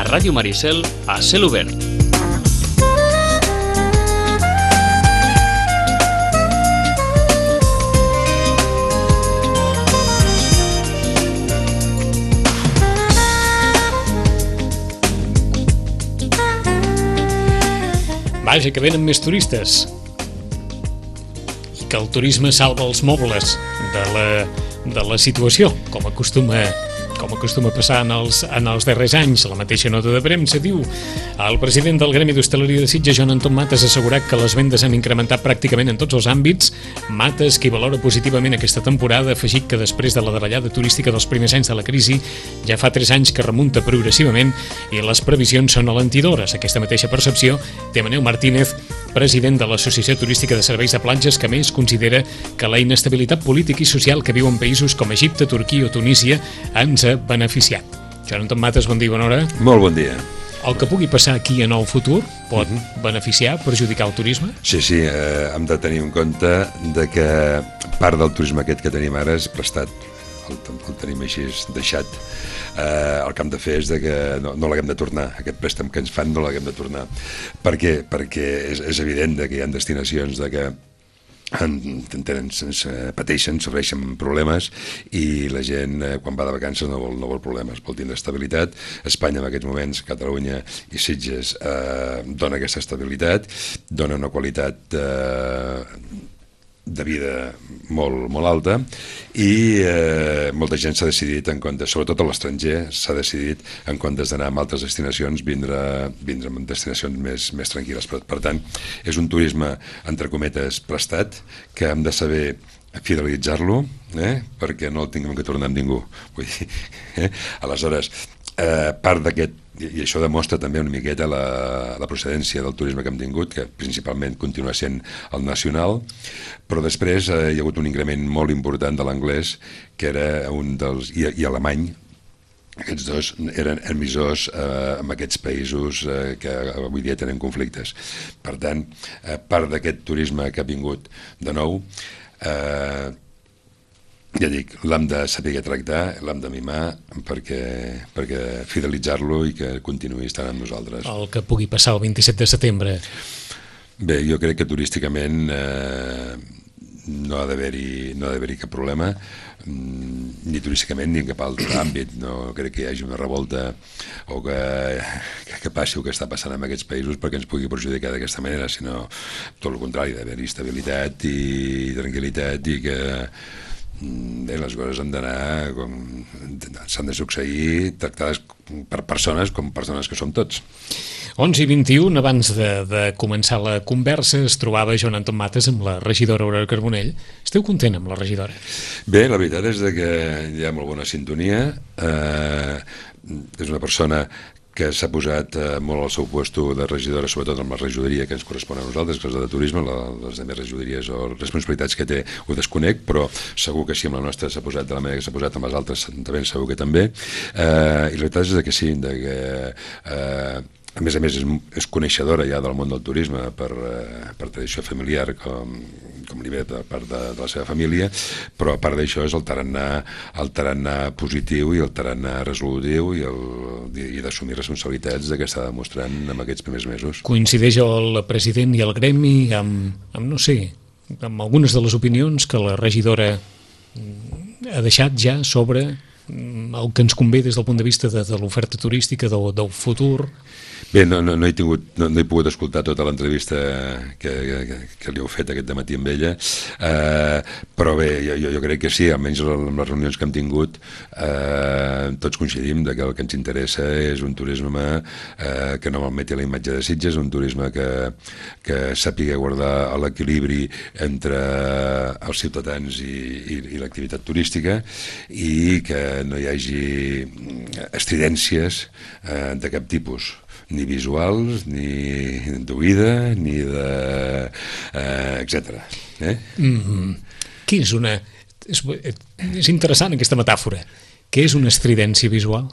Ràdio Maricel a cel obert. Vaja, que venen més turistes i que el turisme salva els mobles de la situació, com acostuma passar en els darrers anys. La mateixa nota de premsa diu: el president del Gremi d'Hostaleria de Sitges, Joan Anton Matas, ha assegurat que les vendes han incrementat pràcticament en tots els àmbits. Matas, qui valora positivament aquesta temporada, ha afegit que després de la davallada turística dels primers anys de la crisi, ja fa 3 anys que remunta progressivament i les previsions són alentidores. Aquesta mateixa percepció té Manel Martínez, president de l'Associació Turística de Serveis de Platges, que a més considera que la inestabilitat política i social que viuen països com Egipte, Turquia o Tunísia ens ha beneficiat. Joan Anton Matas, bon dia, bona hora. Molt bon dia. El que pugui passar aquí en el futur pot beneficiar, perjudicar el turisme? Sí, hem de tenir en compte de que part del turisme aquest que tenim ara és prestat, el tenim així deixat. El que hem de fer és que no l'haguem de tornar, aquest préstec que ens fan no l'haguem de tornar. Per què? Perquè és evident que hi ha destinacions que pateixen, sofreixen problemes, i la gent quan va de vacances no vol problemes, vol tindre estabilitat. Espanya en aquests moments, Catalunya i Sitges dona aquesta estabilitat, dona una qualitat de vida molt alta, i molta gent s'ha decidit, en comptes, sobretot a l'estranger, s'ha decidit, en comptes d'anar a altres destinacions, vindre en destinacions més tranquil·les. Per tant, és un turisme, entre cometes, prestat, que hem de saber fidelitzar-lo, perquè no el tinguem que tornar amb ningú. Vull dir, aleshores, part d'aquest, i això demostra també una miqueta la procedència del turisme que hem tingut, que principalment continua sent el nacional, però després hi ha hagut un increment molt important de l'anglès, que era un dels, i alemany. Aquests dos eren emissors en aquests països que avui dia tenen conflictes. Per tant, part d'aquest turisme que ha vingut de nou, ja dic, l'hem de saber tractar, l'hem de mimar perquè fidelitzar-lo i que continuï estant amb nosaltres. El que pugui passar el 27 de setembre. Bé, jo crec que turísticament no ha d'haver-hi cap problema, ni turísticament ni en cap altre àmbit. No crec que hi hagi una revolta o que passi el que està passant en aquests països perquè ens pugui perjudicar d'aquesta manera, sinó tot el contrari, d'haver-hi estabilitat i tranquil·litat, i que les coses han d'anar s'han de succeir tractades per persones com persones que som tots. 11:21, abans de començar la conversa, es trobava Joan Anton Matas amb la regidora Aurora Carbonell. Esteu content amb la regidora? Bé, la veritat és que hi ha molt bona sintonia. És una persona que s'ha posat molt al seu puesto de regidora, sobretot amb la regidoria que ens correspon a nosaltres, que és la de turisme. Les altres regidories o responsabilitats que té ho desconec, però segur que sí, amb la nostra s'ha posat de la manera que s'ha posat, amb les altres també segur que també. I la veritat és que sí, a més és coneixedora ja del món del turisme per tradició familiar, com li ve de part de la seva família, però a part d'això és el tarannà positiu i el tarannà resolutiu i d'assumir responsabilitats que està demostrant en aquests primers mesos. Coincideix el president i el gremi amb no sé, amb algunes de les opinions que la regidora ha deixat ja sobre el que ens convé des del punt de vista de l'oferta turística del futur? Bé, no he pogut escoltar tota l'entrevista que li heu fet aquest dematí amb ella, però bé, jo crec que sí, almenys en les reunions que hem tingut tots coincidim que el que ens interessa és un turisme que no malmeti la imatge de Sitges, un turisme que sàpiga guardar l'equilibri entre els ciutadans i l'activitat turística, i que no hi hagi estridències de cap tipus, ni visuals, ni d'oïda, ni de... etcètera. Què és una... És interessant aquesta metàfora. Què és una estridència visual?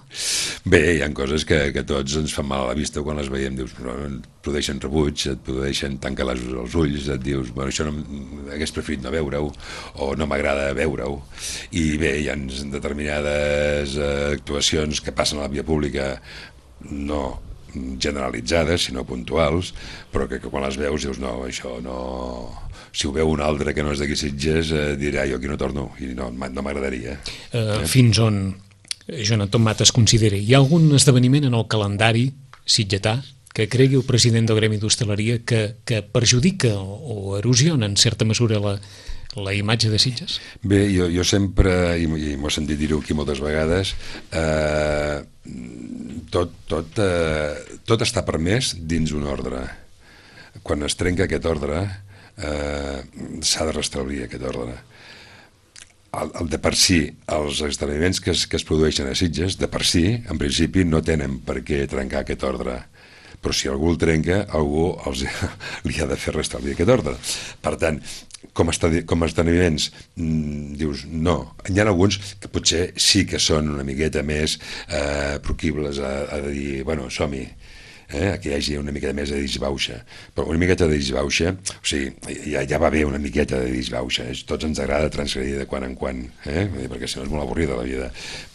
Bé, hi ha coses que a tots ens fan mal a la vista quan les veiem, dius, et produeixen rebuig, et produeixen tancar els ulls, et dius, bueno, això hagués preferit no veure-ho, o no m'agrada veure-ho. I bé, hi ha determinades actuacions que passen a la via pública no generalitzades, sinó puntuals, però que quan les veus dius, no, això no... Si ho veu un altre que no és d'aquí Sitges, dirà, jo aquí no torno, i no m'agradaria. Fins on, Joan Anton Matas, considera, hi ha algun esdeveniment en el calendari sitgetà que cregui el president del Gremi d'Hostaleria que perjudica o erosiona en certa mesura la imatge de Sitges? Bé, jo sempre, i m'ho he sentit dir-ho aquí moltes vegades, tot està permès dins un ordre. Quan es trenca aquest ordre, s'ha de restablir aquest ordre. De per si, els esdeveniments que es produeixen a Sitges, de per si, en principi, no tenen per què trencar aquest ordre. Però si algú el trenca, algú li ha de fer restablir aquest ordre. Per tant, com a esdeveniments, dius, no. Hi ha alguns que potser sí que són una miqueta més proclibles a dir, bueno, som-hi, que hi hagi una miqueta més de disbauxa. Però una miqueta de disbauxa, o sigui, ja va bé una miqueta de disbauxa. Tots ens agrada transgredir de quan en quan, perquè si no és molt avorrida la vida.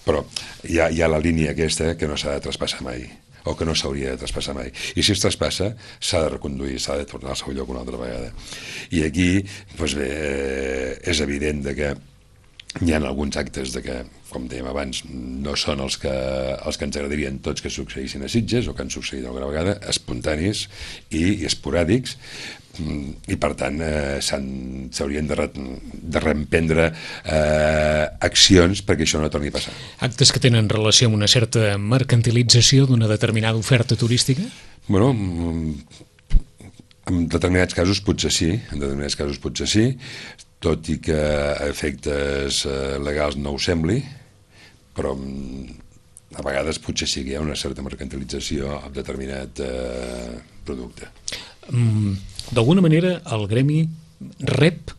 Però hi ha la línia aquesta que no s'ha de traspassar mai, o que no s'hauria de traspassar mai. I si es traspassa, s'ha de reconduir, s'ha de tornar al seu lloc una altra vegada. I aquí, doncs bé, és evident que hi ha alguns actes que, com dèiem abans, no són els que ens agradarien tots que succeïssin a Sitges, o que han succeït alguna vegada, espontanis i esporàdics, i per tant s'haurien de reemprendre accions perquè això no torni a passar. Actes que tenen relació amb una certa mercantilització d'una determinada oferta turística? Bueno, en determinats casos potser sí, tot i que a efectes legals no ho sembli, però a vegades potser sí que hi ha una certa mercantilització amb determinat producte. D'alguna manera el gremi rep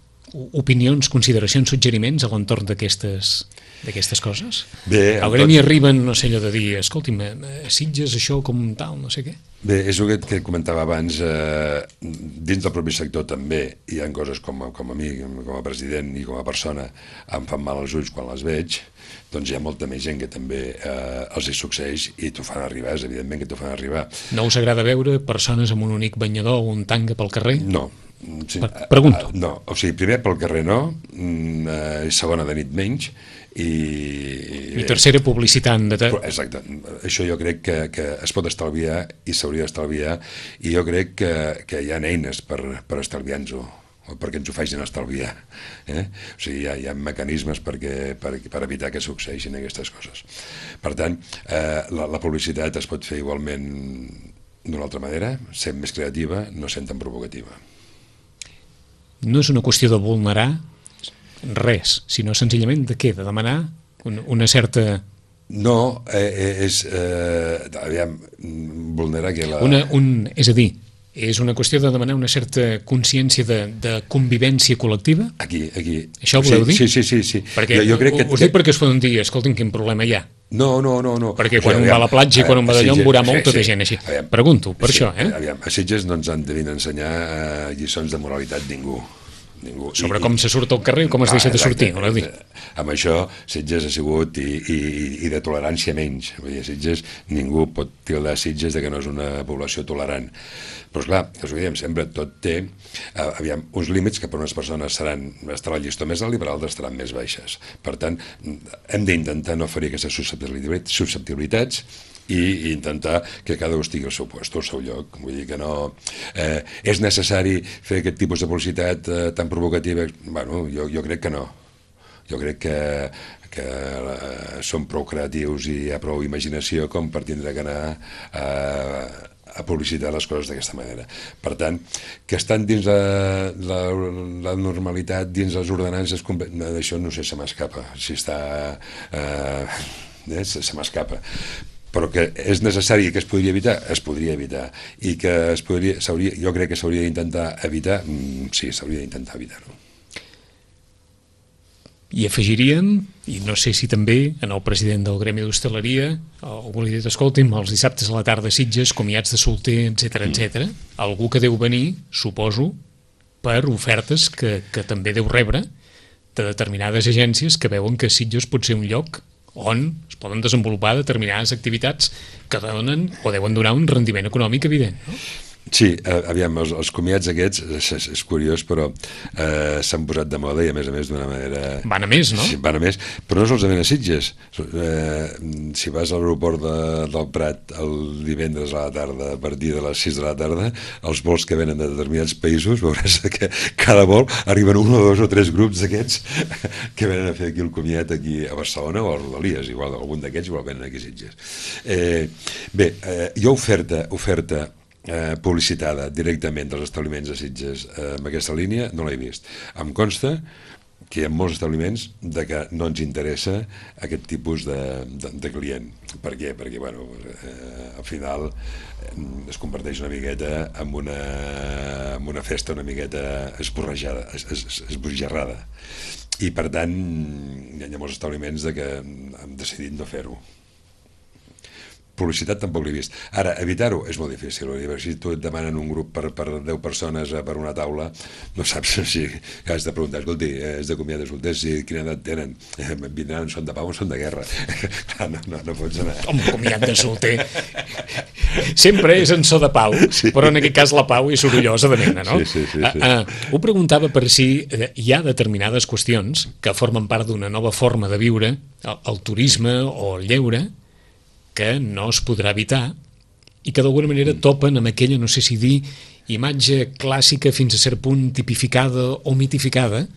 opinions, consideracions, suggeriments a l'entorn d'aquestes coses? Bé, al gremi arriben, no sé, allò de dir, escolti'm, Sitges això com tal, no sé què? Bé, és el que comentava abans, dins del propi sector també hi ha coses com a mi, com a president i com a persona, em fan mal als ulls quan les veig, doncs hi ha molta més gent que també els hi succeeix i t'ho fan arribar, és evidentment que t'ho fan arribar. No us agrada veure persones amb un únic banyador o un tanga pel carrer? No. Sí, pregunto. No, o sigui, primer pel carrer no, segona de nit menys, i tercera publicitant exacte, això jo crec que es pot estalviar i s'hauria d'estalviar, i jo crec que hi ha eines per estalviar-nos-ho, o perquè ens ho facin estalviar, o sigui, hi ha mecanismes per evitar que succeeixin aquestes coses. Per tant, la publicitat es pot fer igualment d'una altra manera, sent més creativa, no sent tan provocativa. No és una qüestió de vulnerar res, sinó senzillament de què? De demanar una certa... No, és... aviam, vulnerar que la... És a dir, és una qüestió de demanar una certa consciència de convivència col·lectiva? Aquí. Això voleu dir? Sí. Perquè jo crec que... Us dic perquè es poden dir, escolti'm, quin problema hi ha. No. Perquè quan un va a la platja i quan un va d'allò en veurà molta de gent així. Pregunto, per això, Aviam, a Sitges no ens han de venir a ensenyar lliçons de moralitat ningú. Sobre com se surt al carrer i com es deixa de sortir, voleu dir? Amb això Sitges ha sigut i de tolerància menys. Vull dir, Sitges, ningú pot tildar Sitges de que no és una població tolerant. Però esclar, us ho diem sempre, tot té uns límits que per unes persones estarà el llistó més alt i per altres estaran més baixes. Per tant, hem d'intentar no oferir aquestes susceptibilitats i intentar que cada un estigui al seu lloc, al seu lloc. Vull dir que no... és necessari fer aquest tipus de publicitat tan provocativa? Bueno, jo crec que no. Jo crec que som prou creatius i hi ha prou imaginació com per tindre que anar a publicitar les coses d'aquesta manera. Per tant, que estan dins la normalitat, dins les ordenances, d'això no sé, se m'escapa. Si està... se m'escapa. Però que és necessari que es podria evitar, i que jo crec que s'hauria d'intentar evitar, sí, s'hauria d'intentar evitar-ho. I afegiríem, i no sé si també en el president del Gremi d'Hostaleria algú li ha dit, escolti'm, els dissabtes a la tarda a Sitges, comiats de solter, etc. Algú que deu venir, suposo, per ofertes que també deu rebre de determinades agències que veuen que Sitges pot ser un lloc on es poden desenvolupar determinades activitats que donen o deuen donar un rendiment econòmic evident, no? Sí, aviam, els comiats aquests, és curiós, però s'han posat de moda i a més d'una manera... Van a més, no? Sí, van a més, però no solament a Sitges. Si vas a l'aeroport del Prat el divendres a la tarda, a partir de les 6 de la tarda, els vols que venen de determinats països, veuràs que cada vol arriben 1 o 2 o 3 grups d'aquests que venen a fer aquí el comiat aquí a Barcelona o a Rodalies, igual algun d'aquests igual venen aquí a Sitges. Bé, jo oferta publicitada directament dels establiments de Sitges amb aquesta línia no l'he vist. Em consta que hi ha molts establiments de que no ens interessa aquest tipus de client. Per què? Perquè bueno, al final es converteix una miqueta en una festa una miqueta esbojarrada. I per tant hi ha molts establiments de que hem decidit no fer-ho. Publicitat tampoc l'he vist. Ara, evitar-ho és molt difícil. Si tu et demanen un grup per 10 persones per una taula, no saps si has de preguntar, escolti, és de comiat de solters, quina edat tenen? Vindran, són de pau o són de guerra? Clar, no pots anar. Un comiat de solter sempre és en so de pau, sí. Però en aquest cas la pau és sorollosa de mena, no? Sí. Ho preguntava per si hi ha determinades qüestions que formen part d'una nova forma de viure, el turisme o el lleure, que no es podrà evitar i que d'alguna manera topen amb aquella, no sé si dir, imatge clàssica fins a cert punt tipificada o mitificada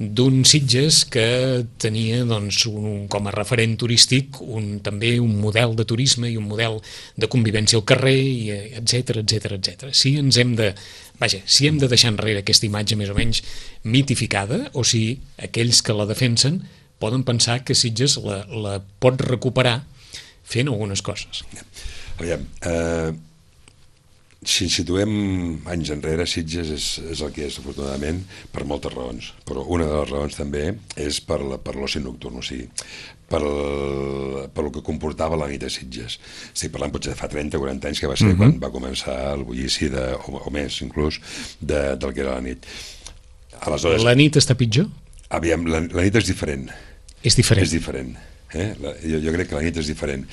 d'un Sitges que tenia doncs, com a referent turístic també un model de turisme i un model de convivència al carrer, etc. Si hem de deixar enrere aquesta imatge més o menys mitificada o si aquells que la defensen poden pensar que Sitges la pot recuperar fent algunes coses. Aviam, si ens situem anys enrere, Sitges és el que és, afortunadament, per moltes raons. Però una de les raons també és per l'oci nocturn, o sigui, per el que comportava la nit a Sitges. Estic parlant potser de fa 30 o 40 anys, que va ser quan va començar el bullici, o més inclús, del que era la nit. Aleshores, la nit està pitjor? Aviam, la nit és diferent. És diferent. És diferent. Jo crec que la nit és diferent.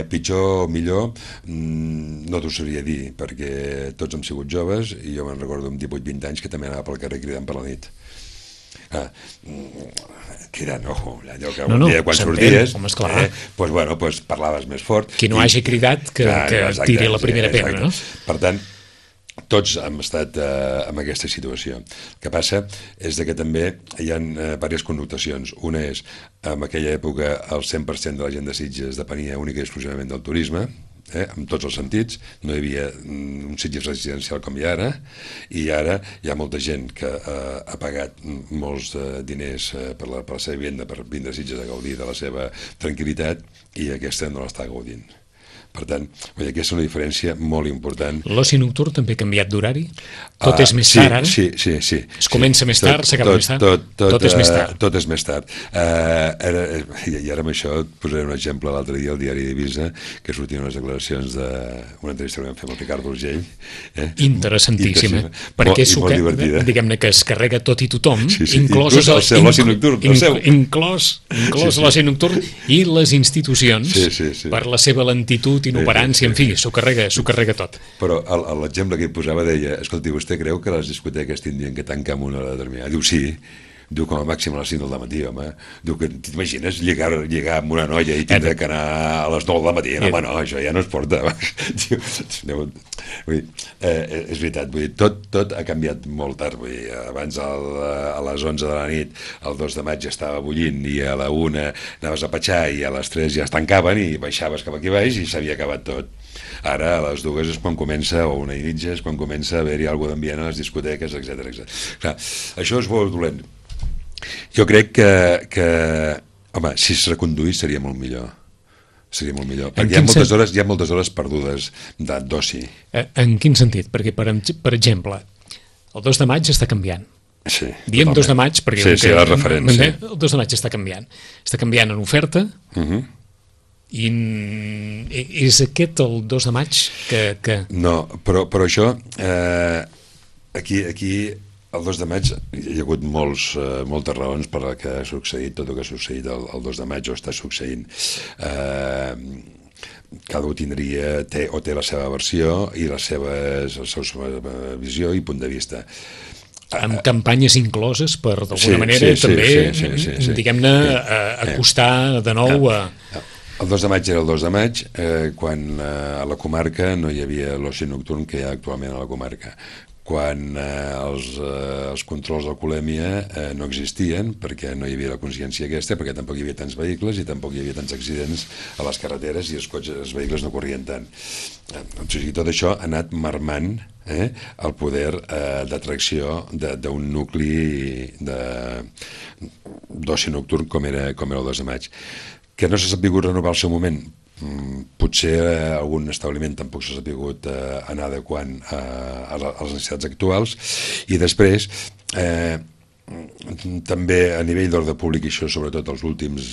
Pitjor o millor no t'ho sabria dir, perquè tots hem sigut joves i jo me'n recordo amb 18-20 anys que també anava pel carrer cridant per la nit. Cridant, allò que un dia quan sorties doncs parlaves més fort. Qui no hagi cridat que tiri la primera pedra, no? Per tant, tots hem estat en aquesta situació. El que passa és que també hi ha diverses connotacions. Una és, en aquella època, el 100% de la gent de Sitges depenia única i exclusivament del turisme, en tots els sentits. No hi havia un Sitges residencial com hi ha ara, i ara hi ha molta gent que ha pagat molts diners per la seva vivenda, per vindre a Sitges a gaudir de la seva tranquil·litat, i aquesta no l'està gaudint. Per tant, aquesta és una diferència molt important. L'oci nocturn també ha canviat d'horari? Tot és més tard, ara? Sí. Es comença més tard, s'acaba més tard? Tot és més tard. Tot és més tard. I ara amb això et posaré un exemple. L'altre dia al diari d'Eivissa, que sortien unes declaracions d'una entrevista que vam fer amb el Ricardo Urgell. Interessantíssima. Perquè diguem-ne que es carrega tot i tothom, inclòs l'oci nocturn. Inclòs l'oci nocturn i les institucions, per la seva lentitud, inoperància, en fi, s'ho carrega tot. Però l'exemple que hi posava deia, escolti, vostè creu que les discoteques tindrien que tancar amb una hora determinada? Diu, sí. Diu, com a màxim a les 5 del matí, home. Diu, que t'imagines lligar amb una noia i tindre que anar a les 9 del matí? Home, no, això ja no es porta. És veritat, tot ha canviat molt tard. Abans a les 11 de la nit, el 2 de maig estava bullint, i a la 1 anaves a petxar, i a les 3 ja es tancaven, i baixaves cap aquí baix, i s'havia acabat tot. Ara, a les 2 és quan comença, o 1:30 és quan comença a haver-hi alguna d'ambient a les discoteques, etc. Clar, això és molt dolent. Jo crec que home, si es reconduís seria molt millor. Perquè hi ha moltes hores perdudes d'oci. En quin sentit? Perquè, per exemple, el 2 de maig està canviant. Sí, diem 2 de maig perquè la referència. El 2 de maig està canviant. Està canviant en oferta, i és aquest el 2 de maig que... No, però això aquí El 2 de maig hi ha hagut moltes raons per la que ha succeït tot el que ha succeït el 2 de maig o està succeint. Cada un té la seva versió i la seva visió i punt de vista. Amb campanyes incloses per, d'alguna manera, també, diguem-ne, acostar de nou a... El 2 de maig era el 2 de maig, quan a la comarca no hi havia l'oci nocturn que hi ha actualment a la comarca. Quan els controls d'alcoholèmia no existien, perquè no hi havia la consciència aquesta, perquè tampoc hi havia tants vehicles i tampoc hi havia tants accidents a les carreteres i els vehicles no corrien tant. O sigui, tot això ha anat marmant el poder d'atracció d'un nucli d'oci nocturn com era el 2 de maig. Que no s'ha sabut renovar al seu moment, potser algun establiment tampoc s'ha sabut anar adequant a les necessitats actuals, i després també a nivell d'ordre públic, i això sobretot els últims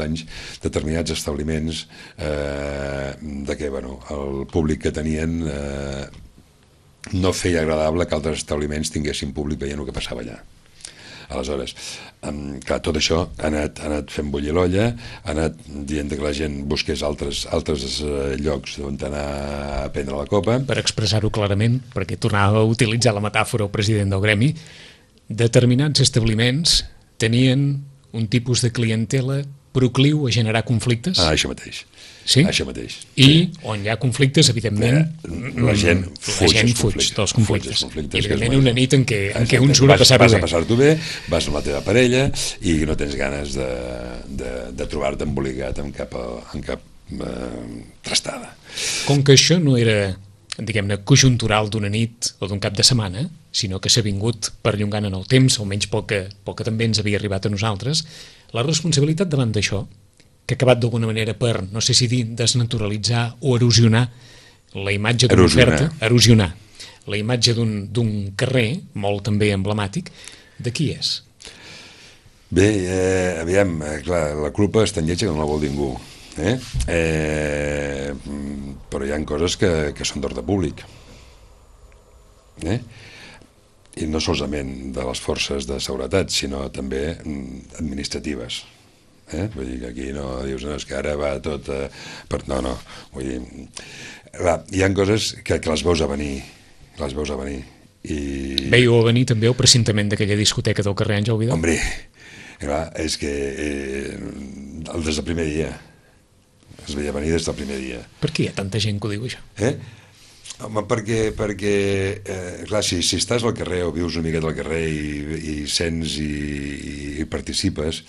anys, determinats establiments de què el públic que tenien no feia agradable que altres establiments tinguessin públic veient el que passava allà. Aleshores, clar, tot això ha anat fent bullir l'olla, ha anat dient que la gent busqués altres llocs on anar a prendre la copa. Per expressar-ho clarament, perquè tornava a utilitzar la metàfora el president del gremi, determinats establiments tenien un tipus de clientela procliu a generar conflictes. Això mateix. Sí? Això mateix. I on hi ha conflictes, evidentment, la gent fuig dels conflictes. I evidentment una nit en què un surt a passar-ho bé. Vas a passar-t'ho bé, vas amb la teva parella i no tens ganes de trobar-te embolicat en cap trastada. Com que això no era, diguem-ne, conjuntural d'una nit o d'un cap de setmana, sinó que s'ha vingut perllongant en el temps, almenys pel que també ens havia arribat a nosaltres, la responsabilitat davant d'això, que ha acabat d'alguna manera per, no sé si dir, desnaturalitzar o erosionar la imatge d'una oferta, erosionar la imatge d'un carrer, molt també emblemàtic, de qui és? Bé, aviam, clar, la culpa és tan lletja que no la vol ningú, però hi ha coses que són d'ordre públic, i no solament de les forces de seguretat, sinó també administratives. Vull dir que aquí no dius, no, és que ara va tot... No, vull dir... Hi ha coses que les veus a venir, Veieu a venir també el precintament d'aquella discoteca del carrer Àngel Vidal? Hombre, clar, és que des del primer dia, es veia venir des del primer dia. Per què hi ha tanta gent que ho diu, això? Home, perquè clar, si estàs al carrer o vius una miqueta al carrer i sents i participes,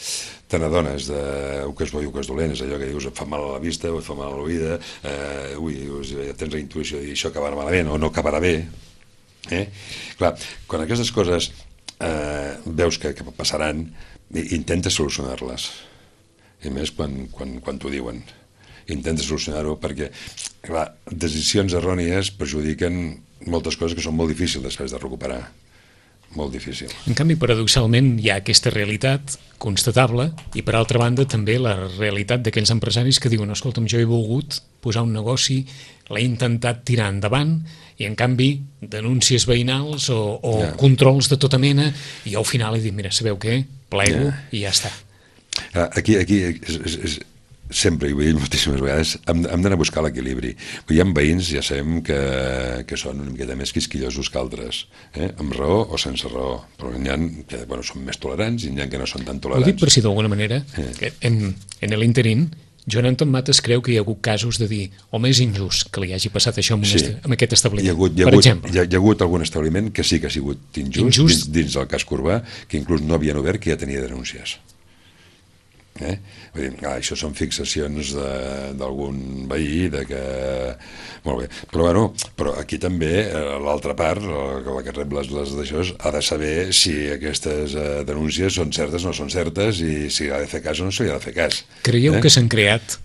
te n'adones del que és bo i el que és dolent, és allò que dius et fa mal a la vista o et fa mal a l'oïda, tens la intuïció de dir això acabarà malament o no acabarà bé. Clar, quan aquestes coses veus que passaran, intentes solucionar-les, i més quan t'ho diuen. Intenta solucionar-ho perquè, clar, decisions errònies perjudiquen moltes coses que són molt difícils després de recuperar. Molt difícil. En canvi, paradoxalment, hi ha aquesta realitat constatable i, per altra banda, també la realitat d'aquells empresaris que diuen, escolta'm, jo he volgut posar un negoci, l'he intentat tirar endavant i, en canvi, denúncies veïnals o controls de tota mena i al final he dit, mira, sabeu què? Plego i ja està. Aquí sempre, i ho he dit moltíssimes vegades, hem d'anar a buscar l'equilibri. Hi ha veïns, ja sabem, que són una miqueta més quisquillosos que altres, amb raó o sense raó, però n'hi ha que són més tolerants i n'hi ha que no són tan tolerants. Ho dic per si d'alguna manera, en l'interín, Joan Anton Mates creu que hi ha hagut casos de dir home, és injust que li hagi passat això amb aquest establiment, per exemple. Hi ha hagut algun establiment que sí que ha sigut injust dins del casc urbà, que inclús no havien obert, que ja tenia denúncies. Vull dir, això són fixacions d'algun veí molt bé, però aquí també l'altra part, la que rep les d'això, ha de saber si aquestes denúncies són certes o no són certes i si ha de fer cas o no s'hi ha de fer cas. Creieu que s'han creat,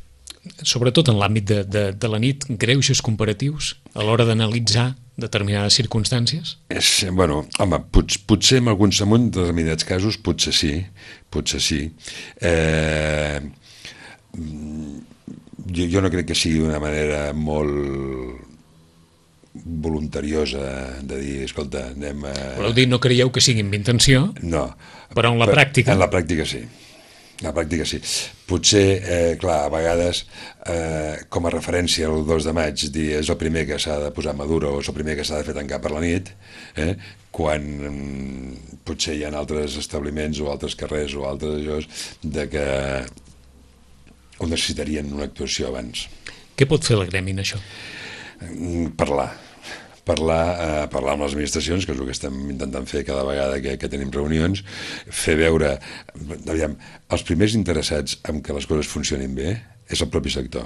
sobretot en l'àmbit de la nit, greuges comparatius a l'hora d'analitzar determinades circumstàncies? Home, potser en determinats casos potser sí. Jo no crec que sigui d'una manera molt voluntariosa de dir, escolta, anem a... Voleu dir, no creieu que sigui amb intenció, No. però en la pràctica... En la pràctica sí. La pràctica sí. Potser, clar, a vegades, com a referència el 2 de maig, dir és el primer que s'ha de posar Maduro o és el primer que s'ha de fer tancar per la nit, quan potser hi ha altres establiments o altres carrers o altres llocs de que ho necessitarien una actuació abans. Què pot fer el gremi en això? Parlar amb les administracions, que és el que estem intentant fer cada vegada que tenim reunions, fer veure, aviam, els primers interessats en que les coses funcionin bé és el propi sector.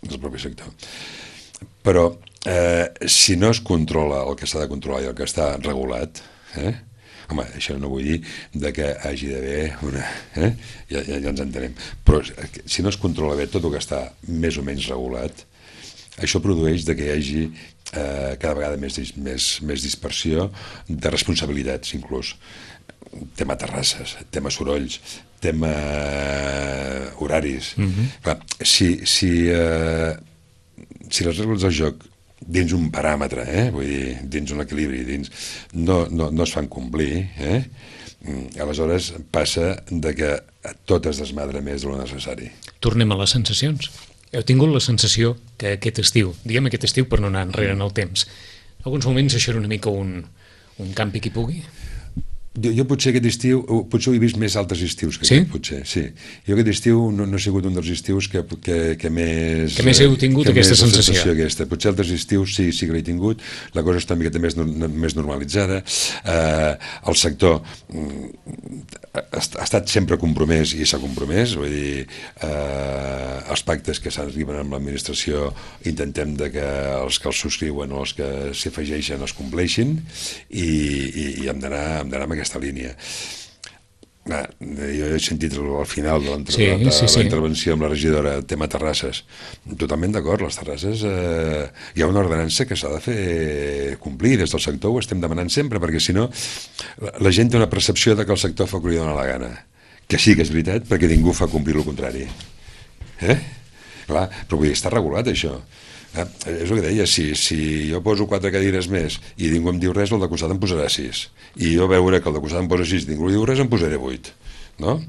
És el propi sector. Però si no es controla el que s'ha de controlar i el que està regulat, home, això no vull dir de que hagi d'haver una... Ja ens entenem. Però si no es controla bé tot el que està més o menys regulat, això produeix de que hi hagi cada vegada més dispersió de responsabilitats, inclús. Tema terrasses, tema sorolls, tema horaris. Clar, si les regles del joc dins un paràmetre, vull dir, dins un equilibri, no es fan complir, aleshores passa de que tot es desmadra més de lo necessari. Tornem a les sensacions. Heu tingut la sensació que aquest estiu, diguem aquest estiu per no anar enrere en el temps, en alguns moments això era una mica un campi qui pugui? Jo potser aquest estiu, potser ho he vist més altres estius que aquest, potser, sí. Jo aquest estiu no ha sigut un dels estius que més... Que més heu tingut aquesta sensació. Potser altres estius sí que l'he tingut, la cosa està una miqueta més normalitzada, el sector ha estat sempre compromès i s'ha compromès, vull dir, els pactes que s'arriben amb l'administració intentem que els subscriuen o els que s'hi afegeixen els compleixin i hem d'anar amb aquesta línia. Jo he sentit al final de la intervenció amb la regidora el tema terrasses, totalment d'acord, les terrasses hi ha una ordenança que s'ha de fer complir des del sector, ho estem demanant sempre, perquè si no la gent té una percepció de que el sector fa el que li dona la gana, que sí que és veritat perquè ningú fa complir el contrari, clar, però vull dir, està regulat això. És el que deia, si jo poso 4 cadires més i ningú em diu res, el de costat em posarà 6, i jo veure que el de costat em posa 6 i ningú li diu res, em posaré 8, no?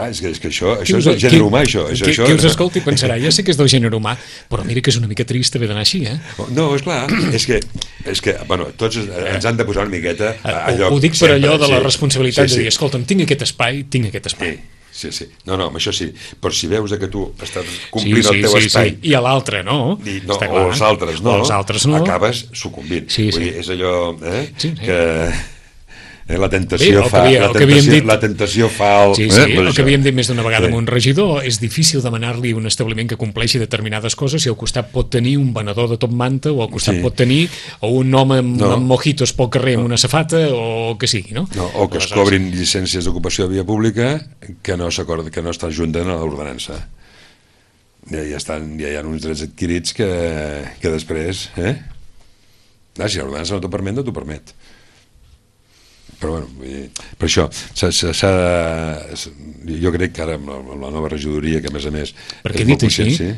És que això és el gènere humà, això. Qui us escolti pensarà, ja sé que és del gènere humà, però mira que és una mica trist haver d'anar així, No, és clar, és que bueno, tots ens han de posar una miqueta a lloc. Ho dic per allò de la responsabilitat de dir, escolta'm, tinc aquest espai. Sí. No, amb això sí. Però si veus que tu estàs complint el teu espai... I a l'altre no. O els altres no. Acabes sucumbint. Vull dir, és allò que... La tentació fa el... El que havíem dit més d'una vegada amb un regidor, és difícil demanar-li un establiment que compleixi determinades coses si al costat pot tenir un venedor de top manta o al costat pot tenir un home amb mojitos pel carrer amb una safata o que sigui, no? O que es cobrin llicències d'ocupació de via pública que no estan junten a l'ordenança. Ja hi ha uns drets adquirits que després... Si l'ordenança no t'ho permet, no t'ho permet. Però bueno, per això jo crec que ara amb la nova regidoria, que a més perquè dit així,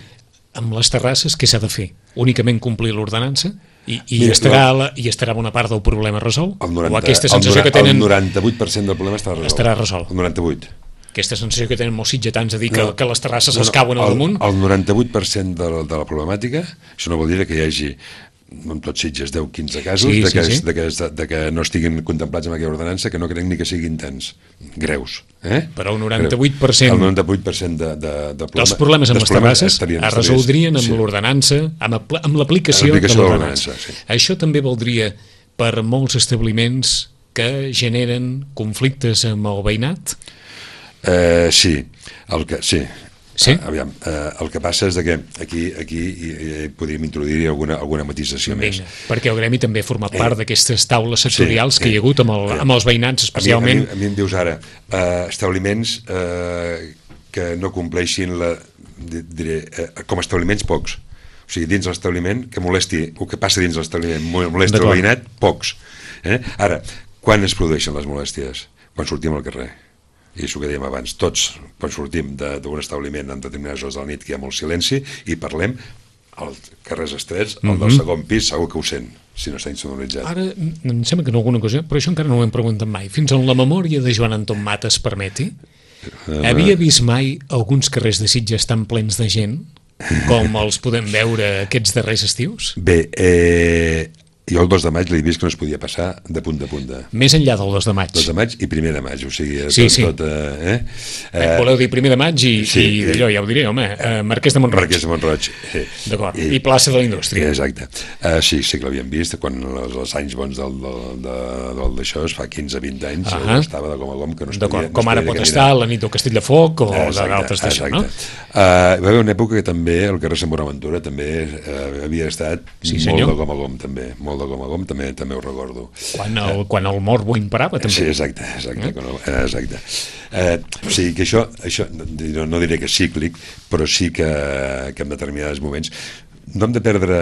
amb les terrasses què s'ha de fer? Únicament complir l'ordenança i estarà bona part del problema resolt? O aquesta sensació que tenen... El 98% del problema estarà resolt. El 98%. Aquesta sensació que tenen molts sitgetans de dir que les terrasses es cauen al damunt? El 98% de la problemàtica, això no vol dir que hi hagi en tots Sitges 10-15 casos de que no estiguin contemplats amb aquella ordenança, que no crec ni que siguin tants greus. Però el 98%... El 98% dels problemes amb les terrasses es resoldrien amb l'ordenança, amb l'aplicació de l'ordenança. Això també valdria per molts establiments que generen conflictes amb el veïnat? Sí. Aviam, el que passa és que aquí podríem introduir alguna matisació més. Perquè el gremi també ha format part d'aquestes taules sectorials que hi ha hagut amb els veïnats especialment. A mi em dius ara, establiments que no compleixin com a establiments pocs. O sigui, dins l'establiment que molesti, el que passa dins l'establiment molesti el veïnat, pocs. Ara, quan es produeixen les molèsties? Quan sortim al carrer. I això que dèiem abans, tots quan sortim d'un establiment en determinades hores de la nit que hi ha molt silenci i parlem als carrers estrets, el del segon pis segur que ho sent, si no està insonoritzat. Ara, em sembla que en alguna ocasió, però això encara no ho hem preguntat mai, fins on la memòria de Joan Anton Matas permeti, havia vist mai alguns carrers de Sitges tan plens de gent com els podem veure aquests darrers estius? Bé, jo el 2 de maig l'he vist que no es podia passar de punta a punta. Més enllà del 2 de maig. 2 de maig i 1 de maig, o sigui, Sí, sí. Voleu dir 1 de maig i d'allò, ja ho diré, home, Marquès de Mont-roig. Marquès de Mont-roig, sí. D'acord, i plaça de la Indústria. Exacte. Sí que l'havíem vist quan els anys bons d'això, es fa 15-20 anys, estava de gom que no es podia... D'acord, com ara pot estar la nit del Castell de Foc o d'altres d'això, no? Va haver una època que també el carrer Sant Bonaventura també havia estat molt de gom, també, molt de gom, també ho recordo. Quan el morbo imparava, també. Sí, exacte. O sigui que això no diré que és cíclic, però sí que en determinats moments no hem de perdre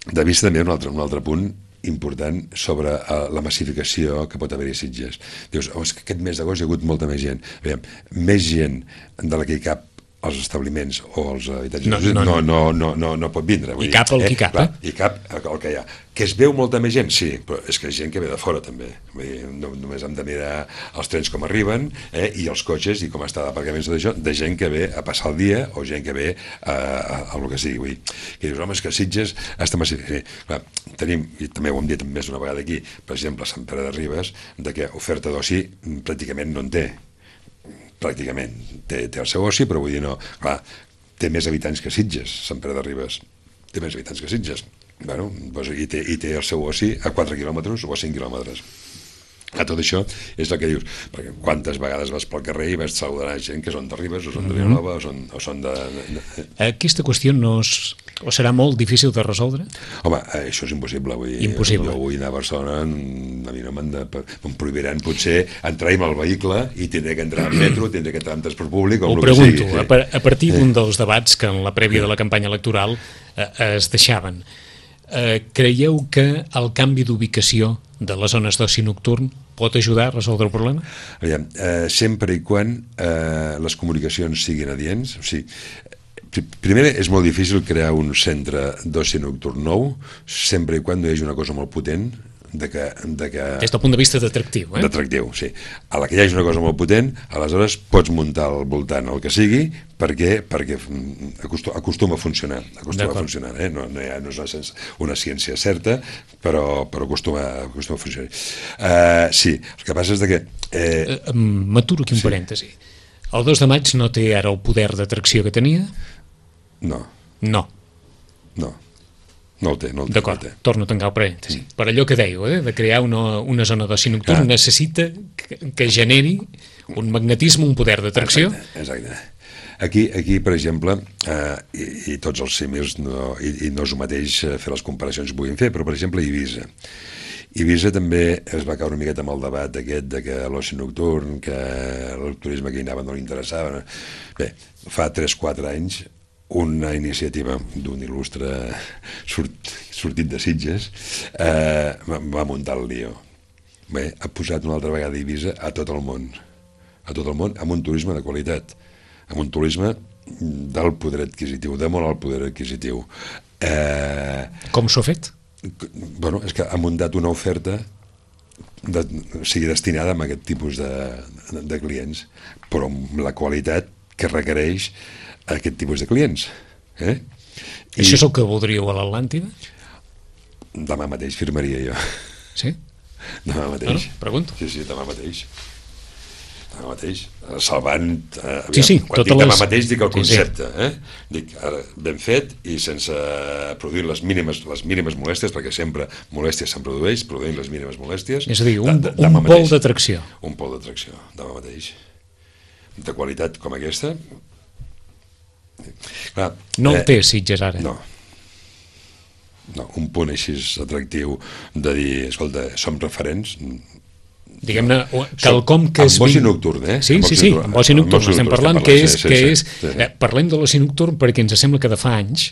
de vista també un altre punt important sobre la massificació que pot haver-hi a Sitges. Dius, és que aquest mes d'agost hi ha hagut molta més gent. Aviam, més gent de la que hi cap als establiments o als habitatges no pot vindre. I cap el que cap, I cap el que hi ha. Que es veu molta més gent? Sí, però és que hi ha gent que ve de fora també. Vull dir, només hem de mirar els trens com arriben i els cotxes i com està d'aparcaments de gent que ve a passar el dia o gent que ve a el que sigui. Vull dir, que dius, home, és que Sitges està massificat. Clar, tenim, i també ho hem dit més d'una vegada aquí, per exemple, Sant Pere de Ribes, de que oferta d'oci pràcticament no en té. Pràcticament té el seu oci, però vull dir, no, clar, té més habitants que Sitges, Sant Pere de Ribes, té més habitants que Sitges, bueno, doncs, i té el seu oci a 4 quilòmetres o a 5 quilòmetres. A tot això és el que dius, perquè quantes vegades vas pel carrer i vas saludar gent que són de Ribes o són de Vilanova o són de... Aquesta qüestió o serà molt difícil de resoldre? Home, això és impossible. Impossible. Jo vull anar a Barcelona, a mi no em prohibiran potser entrar amb el vehicle i tindré que entrar en metro, tindré que entrar en transport públic o el que sigui. Ho pregunto, a partir d'un dels debats que en la prèvia de la campanya electoral es deixaven, creieu que el canvi d'ubicació de les zones d'oci nocturn pot ajudar a resoldre el problema? Aviam, sempre i quan les comunicacions siguin adients, o sigui, primer és molt difícil crear un centre d'oci nocturn nou sempre i quan no hi hagi una cosa molt potent des del punt de vista d'atractiu, d'atractiu, sí. A la que hi hagi una cosa molt potent, aleshores pots muntar al voltant el que sigui perquè acostuma a funcionar, no és una ciència certa, però acostuma a funcionar. Sí, el que passa és que... M'aturo aquí un parèntesi. El 2 de maig no té ara el poder d'atracció que tenia? No. No el té. D'acord, torno a tancar el parèntesi. Per allò que dèieu, de crear una zona d'oci nocturn, necessita que generi un magnetisme, un poder d'atracció. Exacte. Aquí, per exemple, i tots els símils, no és el mateix fer les comparacions que puguin fer, però, per exemple, Eivissa també es va caure una miqueta amb el debat aquest de que l'oci nocturn, que el turisme que hi anava no li interessava. Bé, fa 3-4 anys una iniciativa d'un il·lustre sortit de Sitges va muntar el lío. Bé, ha posat una altra vegada Eivissa a tot el món, amb un turisme de qualitat, amb un turisme del poder adquisitiu, de molt alt poder adquisitiu. Com s'ho ha fet? Bueno, és que ha muntat una oferta destinada a aquest tipus de clients, però amb la qualitat que requereix aquest tipus de clients. Això és el que voldríeu a l'Atlàntida? Demà mateix firmaria jo. Sí? Demà mateix. Pregunto. Sí, demà mateix. Salvant... Demà mateix dic el concepte. Dic, ara, ben fet i sense produir les mínimes molèsties, perquè sempre molèsties se'n produint les mínimes molèsties. És a dir, un pol d'atracció. Un pol d'atracció, demà mateix. De qualitat com aquesta... Clar, no el té Sitges ara. No, un punt així atractiu de dir, escolta, som referents, diguem-ne, quelcom que és... Amb oci nocturn, Sí, amb oci nocturn estem parlant, que és... Parlem de l'oci nocturn perquè ens sembla que de fa anys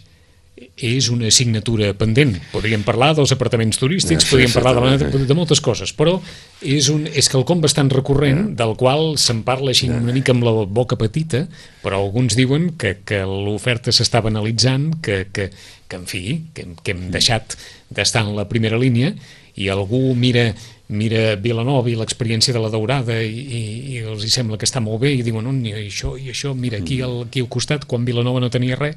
és una assignatura pendent. Podríem parlar dels apartaments turístics, podríem parlar de moltes coses, però és quelcom bastant recurrent, del qual se'n parla així una mica amb la boca petita, però alguns diuen que l'oferta s'està banalitzant, que en fi, que hem deixat d'estar en la primera línia, i algú mira Vilanova i l'experiència de la Daurada i els hi sembla que està molt bé i diuen, i això, mira, aquí al costat, quan Vilanova no tenia res,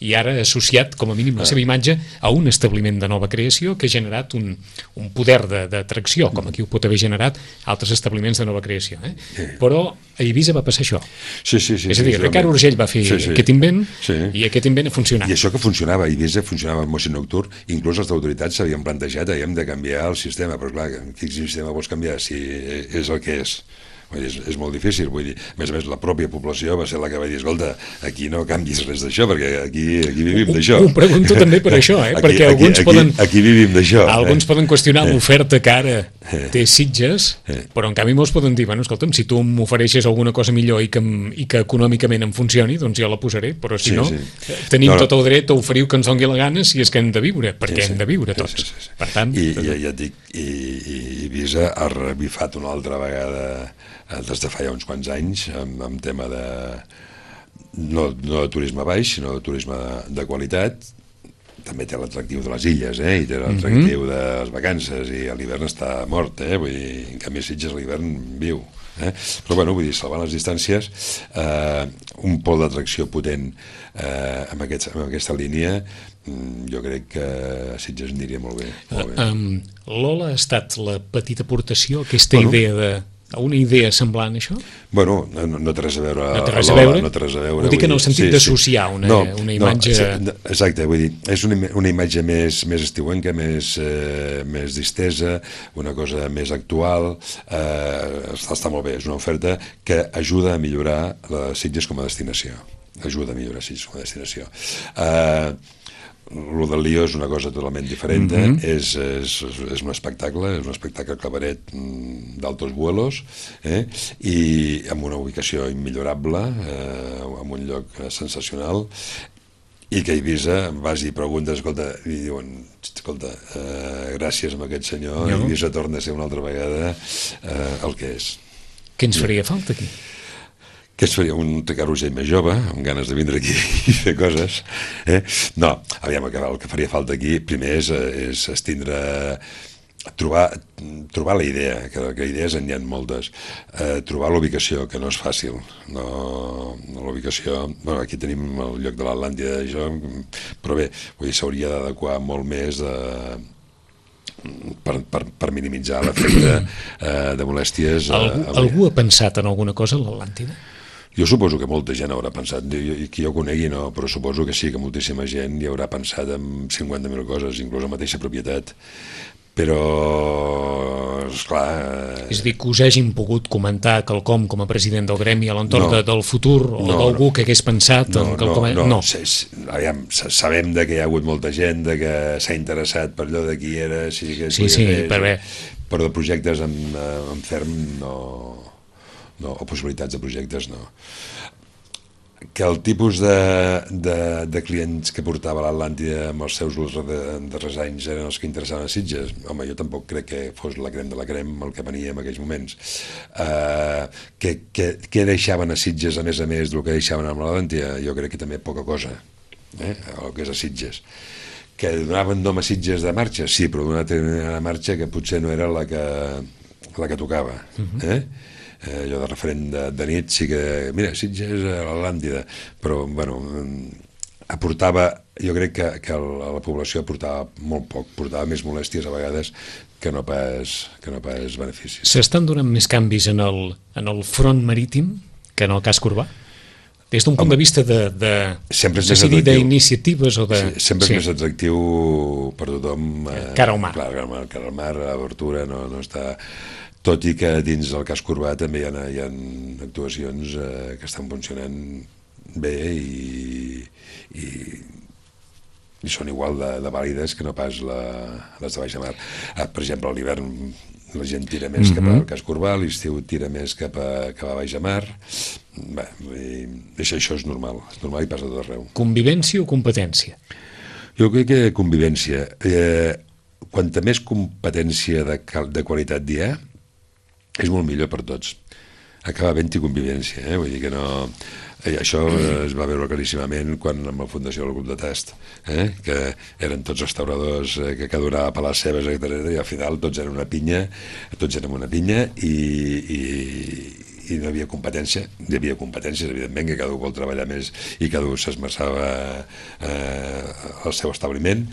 i ara ha associat com a mínim la seva imatge a un establiment de nova creació que ha generat un poder d'atracció, com aquí ho pot haver generat altres establiments de nova creació. Però a Eivissa va passar això. Sí. És a dir, Ricard Urgell va fer aquest invent i aquest invent ha funcionat. I això que funcionava a Eivissa, funcionava amb oci nocturn, inclús les autoritats s'havien plantejat hem de canviar el sistema, però clar, quin sistema vols canviar si és el que és? És molt difícil, vull dir, a més la pròpia població va ser la que va dir, escolta, aquí no canvis res d'això, perquè aquí vivim d'això. Ho pregunto també per això, perquè aquí vivim d'això. Alguns poden qüestionar l'oferta que ara té Sitges, però en canvi molts poden dir, bueno, escolta'm, si tu m'ofereixes alguna cosa millor i que econòmicament em funcioni, doncs jo la posaré, però si no, tenim tot el dret a oferir que ens doni la gana si és que hem de viure, perquè hem de viure tots. Per tant... I ja et dic, i Eivissa ha revifat una altra vegada des de fa ja uns quants anys amb tema de no de turisme baix, sinó de turisme de qualitat. També té l'atractiu de les illes, i té l'atractiu de les vacances, i a l'hivern està mort, vull dir, en canvi a Sitges a l'hivern viu. Però bueno, vull dir, salvant les distàncies, un pol d'atracció potent amb aquesta línia, jo crec que a Sitges aniria molt bé. Lola ha estat la petita aportació, aquesta idea una idea semblant a això? Bueno, no té res a veure. No té res a veure? No té res a veure. Ho dic en el sentit d'associar una imatge... Exacte, vull dir, és una imatge més estiuenca, més distesa, una cosa més actual, està molt bé, és una oferta que ajuda a millorar Sitges com a destinació. Ajuda a millorar Sitges com a destinació. Lo del Lió és una cosa totalment diferent, és un espectacle cabaret d'altos vuelos, i amb una ubicació immillorable, en un lloc sensacional, i que a Eivissa vas i preguntes, i diuen, gràcies a aquest senyor, Eivissa torna a ser una altra vegada el que és. Què ens faria falta aquí? Que es faria un Ricard Urgell més jove, amb ganes de vindre aquí i fer coses. No, aviam, el que faria falta aquí, primer és trobar la idea, que idees n'hi ha moltes, trobar l'ubicació, que no és fàcil. L'ubicació, aquí tenim el lloc de l'Atlàntida, però bé, s'hauria d'adequar molt més per minimitzar l'efecte de molèsties. Algú ha pensat en alguna cosa a l'Atlàntida? Jo suposo que molta gent haurà pensat, qui jo conegui no, però suposo que sí, que moltíssima gent hi haurà pensat en 50.000 coses, inclús la mateixa propietat, però, esclar... És a dir, que us hagin pogut comentar quelcom com a president del gremi a l'entorn del futur, o d'algú que hagués pensat en quelcom... No, sabem que hi ha hagut molta gent, que s'ha interessat per allò de qui era, però de projectes en ferm no, o possibilitats de projectes no. Que el tipus de clients que portava l'Atlàntida amb els seus darrers anys eren els que interessaven a Sitges, home, jo tampoc crec que fos la crem de la crem el que venia en aquells moments. Què deixaven a Sitges a més del que deixaven amb l'Atlàntida? Jo crec que també poca cosa, el que és a Sitges. Que donaven nom a Sitges de marxa? Sí, però d'una marxa que potser no era la que tocava, allò de referent de nit, sí que, mira, Sitges a l'Atlàntida, però, bueno, aportava, jo crec que a la població aportava molt poc, portava més molèsties a vegades que no pas beneficis. S'estan donant més canvis en el front marítim que en el casc urbà? Des d'un punt de vista de decidir d'iniciatives o de... Sempre és més atractiu per tothom... Cara al mar. Clar, cara al mar, l'obertura no està... Tot i que dins del casc urbà també hi ha actuacions que estan funcionant bé i són igual de vàlides que no pas les de baixa mar. Per exemple, a l'hivern la gent tira més cap al casc urbà, l'estiu tira més cap a baixa mar. Bé, això és normal i passa tot arreu. Convivència o competència? Jo crec que convivència. Quanta més competència de qualitat hi ha, és molt millor per tots. Acaba havent-hi convivència, vull dir que no... això es va veure claríssimament quan amb la fundació del grup de tast, que eren tots restauradors que cada un anava a les seves, etc. I al final tots eren una pinya, i no hi havia competència. Hi havia competències, evidentment, que cada un vol treballar més i cada un s'esmerçava al seu establiment,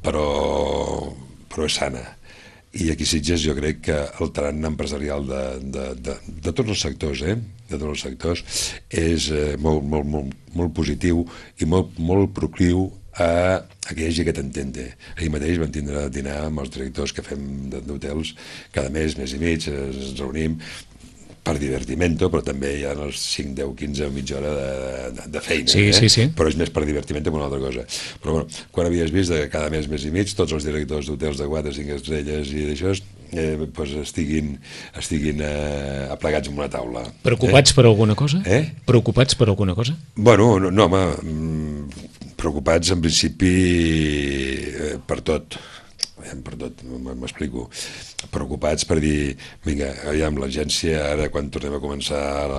però és sana. I aquí a Sitges jo crec que el tarannà empresarial de tots els sectors, de tots els sectors, és molt positiu i molt procliu a que hi hagi aquest entente. Ahir mateix vam tindre a dinar amb els directors que fem d'hotels cada mes i mig, ens reunim per divertimento, però també hi ha els 5, 10, 15 o mitja hora de feina. Sí. Però és més per divertimento que una altra cosa. Però bueno, quan havies vist que cada mes i mig, tots els directors d'hotels de 4, 5 estrelles i d'això estiguin aplegats en una taula. Preocupats per alguna cosa? Preocupats per alguna cosa? Bueno, no, home, preocupats en principi per tot. M'explico. Preocupats per dir, vinga, aviam l'agència, ara quan tornem a començar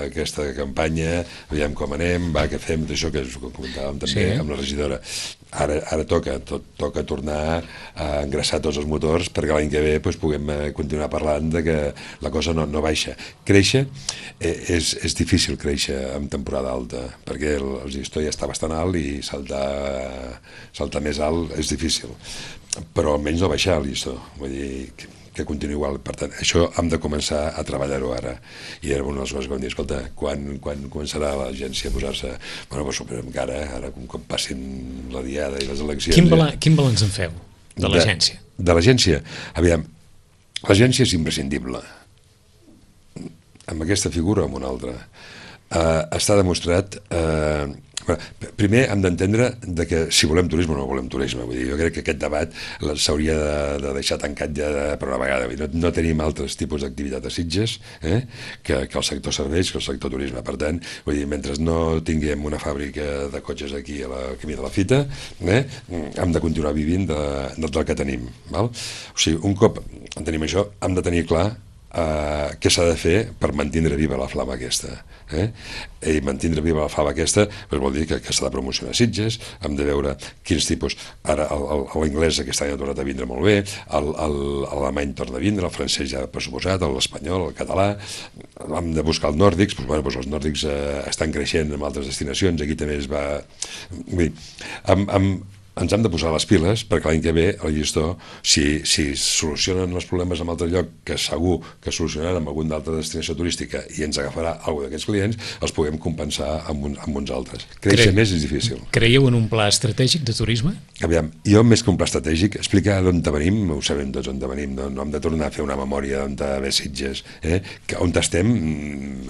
aquesta campanya, aviam com anem, va, què fem, d'això que comentàvem també amb la regidora. Ara toca tornar a engraçar tots els motors perquè l'any que ve puguem continuar parlant de que la cosa no baixa. Créixer, és difícil créixer en temporada alta, perquè el llistó ja està bastant alt i saltar més alt és difícil, però almenys no baixar el llistó, vull dir que continuï igual. Per tant, això hem de començar a treballar-ho ara. I era una de les coses que vam dir, escolta, quan començarà l'agència a posar-se... Bueno, doncs suposem que ara un cop passin la diada i les eleccions... Quin balanç en feu de l'agència? De l'agència? Aviam, l'agència és imprescindible. Amb aquesta figura o amb una altra. Està demostrat... Primer hem d'entendre que si volem turisme o no volem turisme. Vull dir, jo crec que aquest debat s'hauria de deixar tancat ja per una vegada. No tenim altres tipus d'activitat a Sitges que el sector serveis, que el sector turisme. Per tant, vull dir, mentre no tinguem una fàbrica de cotxes aquí a la camí de la Fita, hem de continuar vivint del que tenim. Val? O sigui, un cop tenim això, hem de tenir clar què s'ha de fer per mantindre viva la flama aquesta. I mantindre viva la flama aquesta vol dir que s'ha de promocionar Sitges, hem de veure quins tipus... Ara l'anglès aquest any ha tornat a vindre molt bé, l'alemany torna a vindre, el francès ja per suposat, l'espanyol, el català, hem de buscar els nòrdics, els nòrdics estan creixent en altres destinacions, aquí també es va... Ens hem de posar les piles perquè l'any que ve el llistó, si solucionen els problemes en altre lloc, que segur que solucionaran amb alguna altra destinació turística i ens agafarà alguna d'aquests clients, els puguem compensar amb uns altres. Créixer més és difícil. Creieu en un pla estratègic de turisme? Aviam, jo més que un pla estratègic, explicar d'on venim, ho sabem tots on venim, no hem de tornar a fer una memòria d'on ve Sitges, que on estem,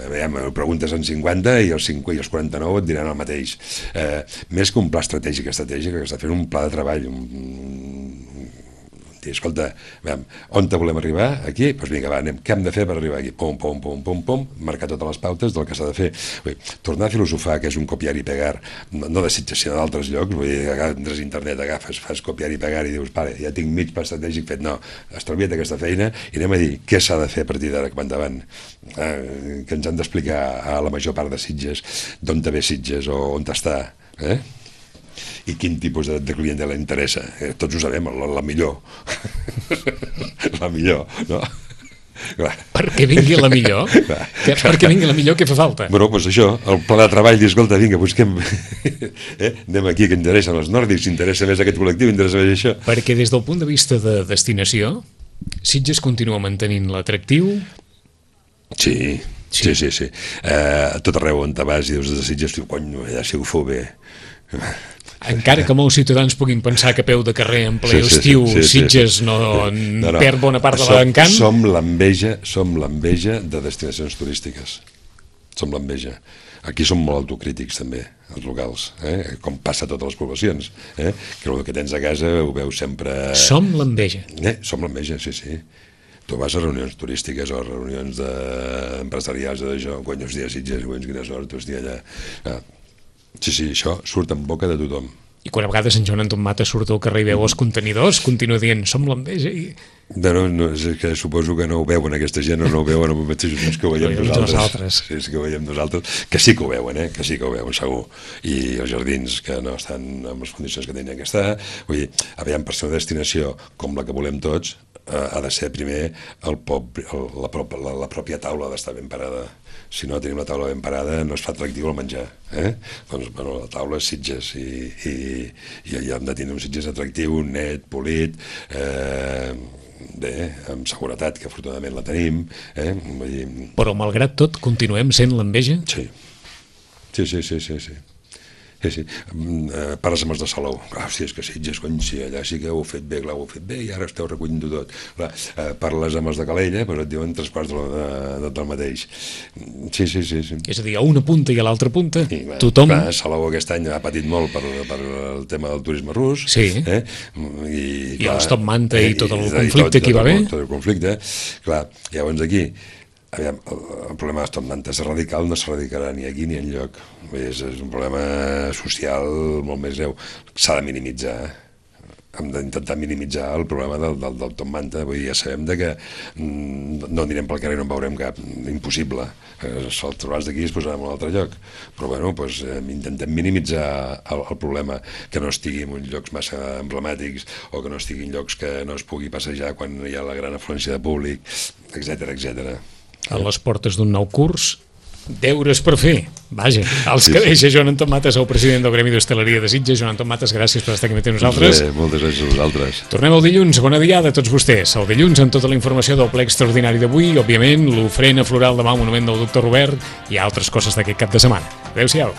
aviam, ho preguntes en 50 i els 49 et diran el mateix. Més que un pla estratègic, que està fent un pla de treball, dir, escolta, on te volem arribar? Aquí? Doncs vinga, va, anem, què hem de fer per arribar aquí? Pum, pum, pum, pum, pum, marcar totes les pautes del que s'ha de fer. Tornar a filosofar, que és un copiar i pegar, no de Sitges, sinó d'altres llocs, vull dir, entres a internet, agafes, fas copiar i pegar i dius, pare, ja tinc mig pla estratègic fet. No, estalvia't aquesta feina i anem a dir què s'ha de fer a partir d'ara cap endavant, que ens han d'explicar a la major part de Sitges d'on te ve Sitges o on t'està, i quin tipus de clientela interessa. Tots ho sabem, la millor. La millor, no? Clar. Perquè vingui la millor? Perquè vingui la millor, què fa falta? Bueno, doncs això, el pla de treball, dir, escolta, vinga, busquem... anem aquí, que interessen els nòrdics, interessa més aquest col·lectiu, interessa més això. Perquè des del punt de vista de destinació, Sitges continua mantenint l'atractiu? Sí. A tot arreu on te vas i dius de Sitges, diu, cony, allà si ho fou bé. Encara que molts ciutadans puguin pensar que a peu de carrer en ple estiu Sitges no perd bona part de l'encant. Som l'enveja de destinacions turístiques. Som l'enveja. Aquí som molt autocrítics també, els locals, com passa a totes les poblacions, que el que tens a casa ho veus sempre... Som l'enveja. Som l'enveja, sí. Tu vas a reunions turístiques o a reunions empresarials d'això, quan us dia Sitges, quina sort, hòstia, allà... Sí, això surt en boca de tothom. I quan a vegades en Joan Anton Matas surt al carrer i veu els contenidors, continua dient, som l'enveja i... No, és que suposo que no ho veuen aquesta gent, o no ho veuen amb els mateixos que ho veiem nosaltres. Sí, que ho veiem nosaltres, que sí que ho veuen, que sí que ho veuen, segur. I els jardins que no estan en les condicions que tenien que estar. Vull dir, aviam, per ser una destinació com la que volem tots, ha de ser primer la pròpia taula d'estar ben parada. Si no tenim la taula ben parada, no es fa atractiu el menjar. Doncs, bueno, la taula és Sitges i hem de tenir un Sitges atractiu, net, polit, bé, amb seguretat, que afortunadament la tenim. Vull dir... Però malgrat tot, continuem sent l'enveja? Sí. Parles amb els de Salou. Hòstia, és que Sitges, cony, sí, allà sí que ho heu fet bé, clar, ho heu fet bé i ara esteu recollint-ho tot. Clar, parles amb els de Calella, però et diuen 3 quarts del mateix. Sí. És a dir, a una punta i a l'altra punta, clar, tothom... Clar, Salou aquest any ha patit molt per el tema del turisme rus. Sí. I els Top Manta i tot el conflicte que hi va haver. Tot el conflicte. Clar, llavors aquí... Aviam, el problema dels Top Manta és radical, no s'erradicarà ni aquí ni enlloc. És un problema social molt més greu. S'ha de minimitzar. Hem d'intentar minimitzar el problema del Top Manta. Vull dir, ja sabem que no anirem pel carrer i no en veurem cap. Impossible. Se'l trobaràs d'aquí i es posarà en un altre lloc. Però bueno, doncs, intentem minimitzar el problema, que no estigui en uns llocs massa emblemàtics o que no estigui en llocs que no es pugui passejar quan hi ha la gran afluència de públic, etc. A les portes d'un nou curs, deures per fer. Vaja, els que deixa Joan Anton Matas, el president del Gremi d'Hostaleria de Sitges. Joan Anton Matas, gràcies per estar aquí amb nosaltres. Moltes gràcies a vosaltres. Tornem el dilluns. Bona diada a tots vostès. El dilluns amb tota la informació del ple extraordinari d'avui, òbviament, l'ofrena floral demà al monument del doctor Robert i altres coses d'aquest cap de setmana. Adéu-siau.